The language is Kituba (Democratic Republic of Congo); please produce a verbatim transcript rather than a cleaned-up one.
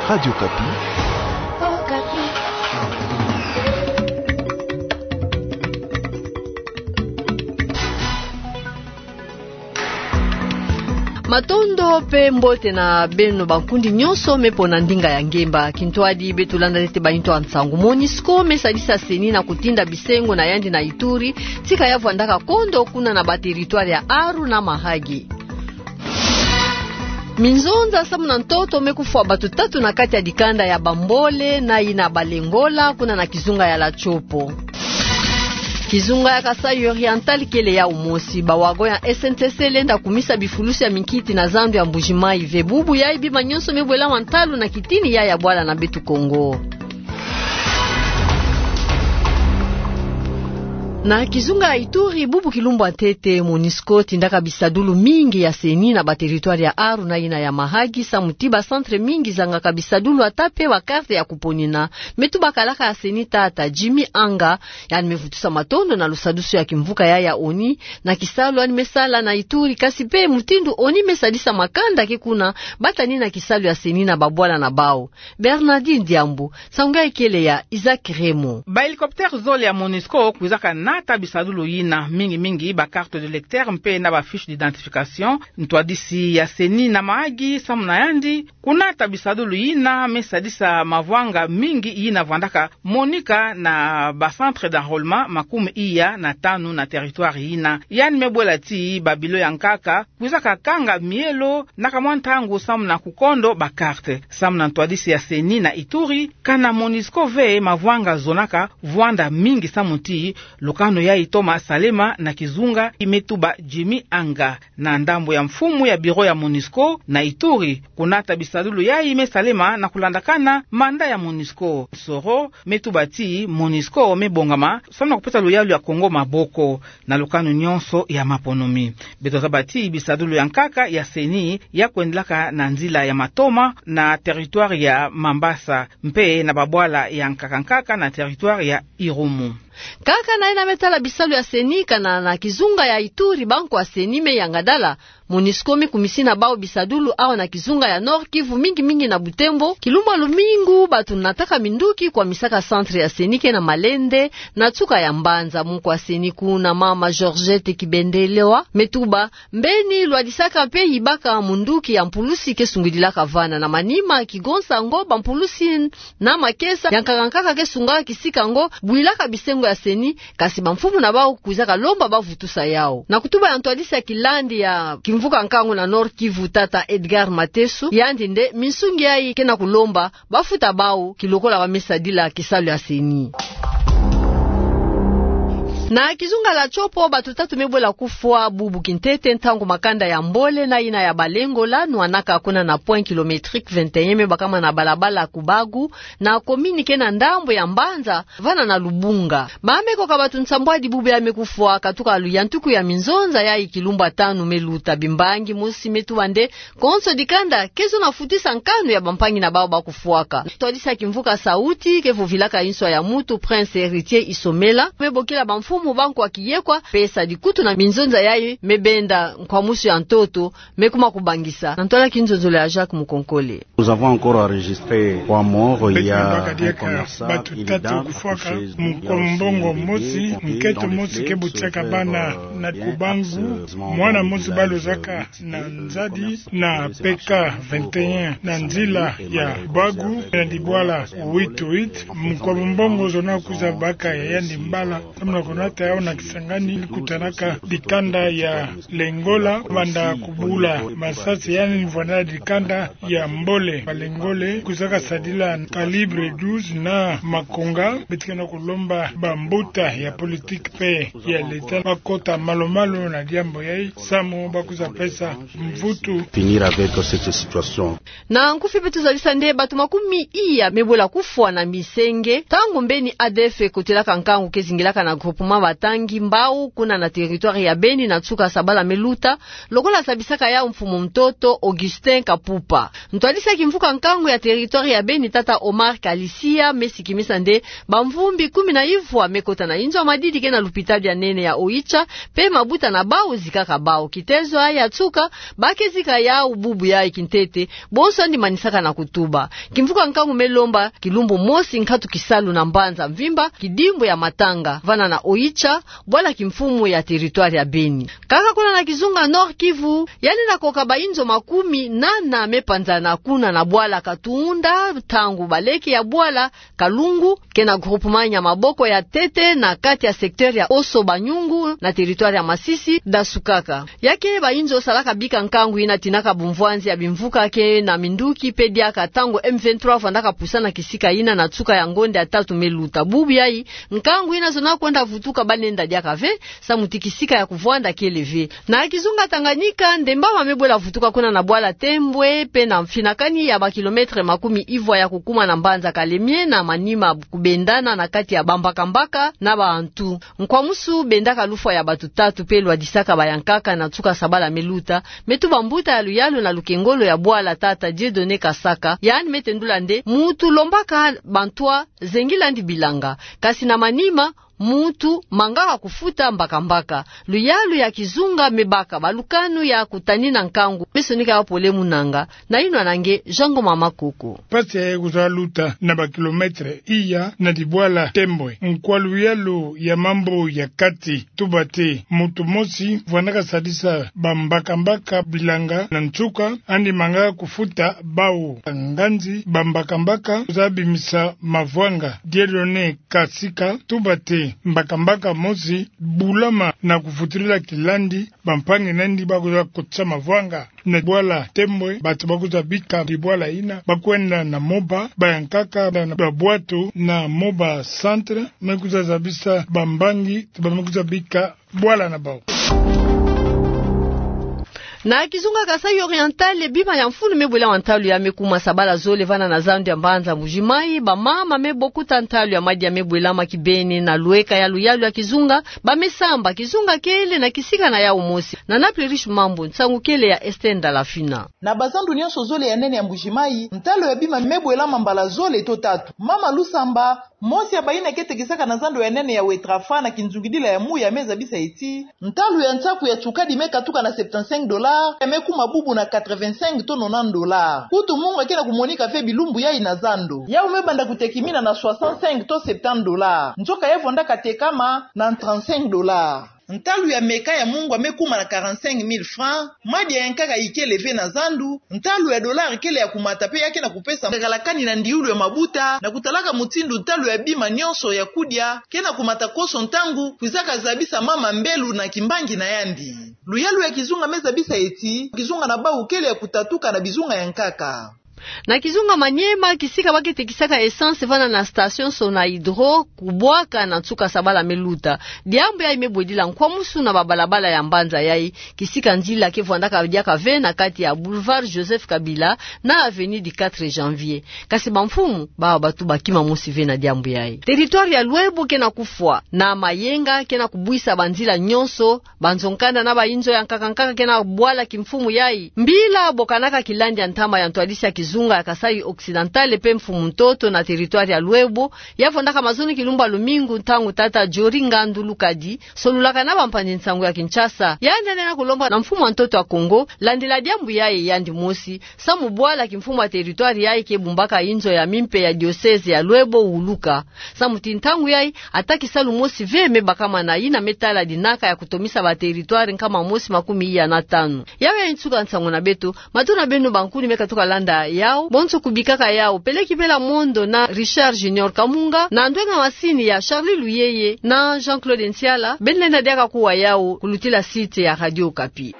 Radio Okapi. Matondo pe mbote na beno bankundi nyonso me pona ndinga ya ngemba. Kintwadi beto landa ntete bainto ya nsangu. Monusco me sadisa CENI na kutinda bisengo na yandi na Ituri, tika ya vwandaka kondo kuna na ba territoire ya Aru na Mahagi. Minzonza samu na ntoto me kufwa bato tatu na kati ya dikanda ya Bambole na yina Balengola kuna na kizunga ya Latshopo. Kizunga ya Kasaï Oriental kele yau mosi. Ba wagon ya S N C C lenda kumisa bifulusi ya minkiti na zandu ya Mbuji-Mayi ve. Bubu yayi bima nyonso me bwela mwa ntalu na kitini ya ya bwala na beto Kongo. Na kizunga ya Ituri, bubu kilumbu ya ntete, Monusco tindaka bisadulu mingi ya CENI na ba territoire ya Aru na yina ya Mahagi, samu ti ba centre mingi zangaka bisadulu ata pe ba carte ya kuponina. Me tuba kalaka ya CENI, tata Jimmy Anga, yandi me vutusa matondo na lusadusu ya kimvuka ya ya ONU na kisalu yandi me sala na Ituri, kasi pe mutindu ONU me sadisa makanda ke kuna, bata ni na kisalu ya CENI na babwala na bau. Bernardine Diambu, nsangu yayi kele ya Isaac Remo. Ba hélicoptère zole ya Monusco kwizaka nata bisadulu yina, mingi mingi ba carte d'électeur mpe na ba fiche d'identification. Ntwadisi ya CENI na Mahagi, samu na yandi, kunata bisadulu yina me sadisa mavwanga mingi yina vwandaka monika na ba centre d'enrôlement makumi iya na tanu na territoire yina. Yandi me bwela ti ba bilo ya nkaka kwizaka kanga mielo na kamwa ntangu samu na kukondo ba carte. Samu na ntwadisi ya CENI na Ituri, kana Monusco ve mavwanga zonaka vwanda mingi samu ti lukanu yayi toma salema na kizunga, me tuba Jimmy Anga. Na ndambu ya mfumu ya bureau ya Monusco na Ituri, kunata bisadulu yayi me salema na kulandakana manda ya Monusco. Soro me tuba ti Monusco me bongama samu na kupesa luyalu ya Kongo maboko na lukanu nyonso ya maponomi. Beto zaba ti bisadulu ya nkaka ya CENI ya kwendelaka na nzila ya matoma na territoire ya Mambasa, mpe na babwala ya nkaka nkaka na territoire ya Irumu. Kaka na yina me tala bisalu ya CENI, kana na kizunga ya Ituri, bankwa CENI me yangadala Monusco me kumisina bau bisadulu awa na kizunga ya Nord-Kivu, mingi mingi na Butembo. Kilumbu ya lumingu bato nataka minduki kwamisaka centre ya CENI ke na Malende, na nsuka ya mbanza. Mkuu ya CENI kuna, mama Georgette Kibendelewa, me tuba mbeni lwadisaka mpe yibaka munduki ya mpulusi ke sungidilaka vana. Na manima, kigonsa ngo ba mpulusi na makesa ya nkaka nkaka ke sungaka kisika ngo bwilaka bisengo ya CENI, kasi bamfumu na bau kwizaka lomba bavutusa yau. Na kutuba ya ntwadisi ya kilandi ya kimvuka nkangu na Nord-Kivu, tata Edgar Mateso, yandi nde minsungi yayi ke na kulomba bafuta bau kilokola ba me sadila kisalu ya CENI. Na kizunga ya Tshopo, bato tatu me bwela kufwa bubu kintete ntangu makanda ya Mbole na yina ya Balengola nwanaka kuna na point kilométrique vingt et un, me bakama na balabala Kubagu, na commune ke na ndambu ya mbanza, vana na Lubunga. Ba me koka bato nsambwadi bubu ya me kufwa, katuka luyantiku ya minzonza yayi kilumbu ya tanu me luta. Bimbangi mosi me tuba nde konso dikanda ke zona futisa nkanu ya bampangi na bau bakufwaka. Ntwadisi ya kimvuka Sauti ke vovilaka inswa ya mutu, Prince Héritier Isomela, me bokila bamfumu bankwa kiyekwa pesa dikutu na minzonza yayi me benda nkwamusu ya ntoto me kuma kubangisa. Na ntwala kinzonzolo ya Jacques Mukonkole. Nous avons encore enregistré trois morts. Il y a un commerçant, une dame accoucheuse, il y a aussi plusieurs blessés. Beto me baka diaka bato tatu kufwaka, mukwa mbongo mosi, nkento mosi ke butiaka bana na Kubagu, mwana mosi balozaka na nzadi na P K vingt et un na nzila ya Bagu na dibwala huit huit. Mukwa mbongo zona kwiza baka ya yandi mbala, samu na kunata yau na Kisangani, kutanaka dikanda ya Lengola, banda kubula masasi yandi vwanda dikanda ya Mbole. Balengole kwizaka sadila calibre douze na makonga. Beto ke na kulomba bambuta ya politique mpe ya leta bakota malu-malu na diambu yayi, samu bakwiza pesa mvutu. Finir avec cette situation. Na nkufi beto zalisa nde bato makumi iya me bwela kufwa na misenge, ntangu mbeni A D F ekotelaka nkangu ke zingilaka na groupement batangi mbau kuna na territoire ya Beni na nsuka sabala me luta, lokola zabisaka yau mfumu ntoto Augustin Kapupa. Ntwadisi ya kimvuka nkangu ya territoire ya Beni, tata Omar Kalisia, me sikimisa nde bamvumbi kumi na ivwa me kota na inzo ya madidi ke na lupitalu ya nene ya Oicha, mpe mabuta na bau zikaka bau. Kitezo ya nsuka, ba ke zika yau bubu yayi kintete, bonso yandi manisaka na kutuba. Kimvuka nkangu me lomba kilumbu mosi nkatu kisalu na mbanza mvimba, kidimbu ya matanga, vana na Oicha, bwala kimfumu ya territoire ya Beni. Kaka kuna na kizunga Nord-Kivu, yandi na koka bainzo makumi nana me panzana kuna na bwala Katunda, ntangu baleke ya bwala Kalungu, ke na groupement Nyamaboko ya ntete na kati ya secteur ya Oso Banyungu na territoire ya Masisi, dasukaka. Ya ke bainzo salaka bika nkangu yina tinaka bumvwanzi ya bimvuka ke na minduki mpe diaka ntangu M vingt-trois vandaka pusana kisika yina na nsuka ya ngonda ya tatu me luta. Bubu yayi, nkangu yina zonaka kwenda vutuka ba lenda diaka ve, samu ti kisika ya kuvwanda kele ve. Na kizunga Tanganyika, ndemba ma me bwela vutuka kuna na bwala Tembwe, mpe na mfinakani ya ba kilomètre makumi ivwa ya kukuma na mbanza Kalemie na Maniema kubendana na kati ya bambakambaka na bantu. Nkwamusu bendaka lufwa ya batu tatu mpe lwadisaka bayankaka na nsuka sabala me luta, me tuba mbuta ya luyalu na lukengolo ya bwala, tata Dieudonné Kasaka, yandi me tendula nde muntu lombaka bantwa zengil'andi bilanga. Kasi na Maniema, muntu mangaka kufuta mbakambaka. Luyalu ya kizunga me baka balukanu ya kutanina nkangu, me sonika yau pole mu nanga. Na yinwa na nge, Jean Ngoma Makoko. Mpasi yayi kuzwa luta na ba kilomètre iya na dibwala Tembwe. Nkwa luyalu ya mambu ya kati tuba ti muntu mosi vwandaka sadisa bambakambaka bilanga na nsuka, yandi mangaka kufuta bau. Nganzi bambakambaka kuzwa bimisa mavwanga, Dieudonné Kasika, tuba ti mbakambaka mosi bulama na kufutilila kilandi bampangi nandi ba kuzwa kotisa mavwanga na bwala Tembwe. Batu ba kuzwa bika dibwala yina ba kwenda na Moba, bayankaka na, na bwatu na Moba Centre, me kuzwa zabisa bambangi ti ba me kuzwa bika bwala na bau. Na kizunga Kasaï Oriental, bima ya mfunu me bwelama ntalu ya me kuma sabala zole vana na zandu ya mbanza Mbuji-Mayi. Bamama me bokuta ntalu ya madia me bwelama kibeni na lweka ya luyalu ya kizunga, ba me samba kizunga kele na kisika na yau mosi. Na Naples Riche Mambu, nsangu kele ya Esther Ndalafina. Na bazandu nyonso zole ya nene ya Mbuji-Mayi, ntalu ya bima me bwelama mbala zole to tatu. Mama Lusamba, mosi ya bayina ke tekisaka na zandu ya nene ya Wetrafa na kinzungidila ya muya, me zabisa ti ntalu ya nsaku ya tsukadi me katuka na septante-cinq dollars, ya me kuma bubu na quatre-vingt-cinq to nonante dollars. Kutu munga ke na kumonika ve bilumbu yayi na zandu. Yau me banda kutekimina na soixante-cinq to septante dollars. Nzoka ya vwandaka tekama na trente-cinq dollars. Ntalu ya meka ya mungwa me kuma na quarante-cinq mille francs. Madia yankaka ikele ve na zandu. Ntalu ya dollars kele ya kumata mpe ya ke na kupesa ngakala kani na ndiulu ya mabuta, na kutalaka mutindu ntalu ya bima nyonso ya kudia ke na kumata konso ntangu kwizaka zabisa mama mbelu na kimbangi na yandi. Luyalu ya kizunga me zabisa ti kizunga na bau kele ya kutatuka na bizunga yankaka. Na kizunga Maniema, kisika ba ke tekisaka essence vana na station Sonahydro kubwaka na nsuka sabala me luta. Diambu yayi me bwedila nkwamusu na babalabala ya mbanza yayi, kisika nzila ke vwandaka diaka ve na kati ya boulevard Joseph Kabila na avenue du quatre janvier. Kasi bamfumu, bawa batu ba kima mosi ve na diambu yayi. Territoire ya Lwebo ke na kufwa, na mayenga ke na kubwisa banzila nyonso, banzo-nkanda na bayinzo yankaka-nkaka ke na bwala kimfumu yayi. Mbila bokanaka kilandi ya ntama ya ntwadisi ya kizunga ya Kasaï Occidental mpe mfumu ntoto na territoire ya Lwebo, ya vwandaka mazono kilumbu ya lumingu, ntangu tata Jory Ngandu Lukadi solulaka na bampanzi-nsangu ya Kinshasa. Yandi yandi na kulomba na mfumu wa ntoto ya Kongo, landila diambu yayi yandi mosi, samu bwala kimfumu ya territoire yayi ke bumbaka inzo ya mimpe ya diocèse ya Lwebo wuluka. Samu ti ntangu yayi, ata kisalu mosi ve me bakama na yina me tala dinaka ya kutomisa ba territoire nkama mosi makumi iya na tanu. Yau yayi nsuka nsangu na beto, matondo na beno bankuni me katuka landa yau, bonso kubikaka yau, Peleki Bela Mondo na Richard Junior Kamunga, na ndwenga masini ya Charly Luyeye na Jean-Claude Nsiala, beno lenda diaka kuwa yau kulutila site ya Radio Okapi.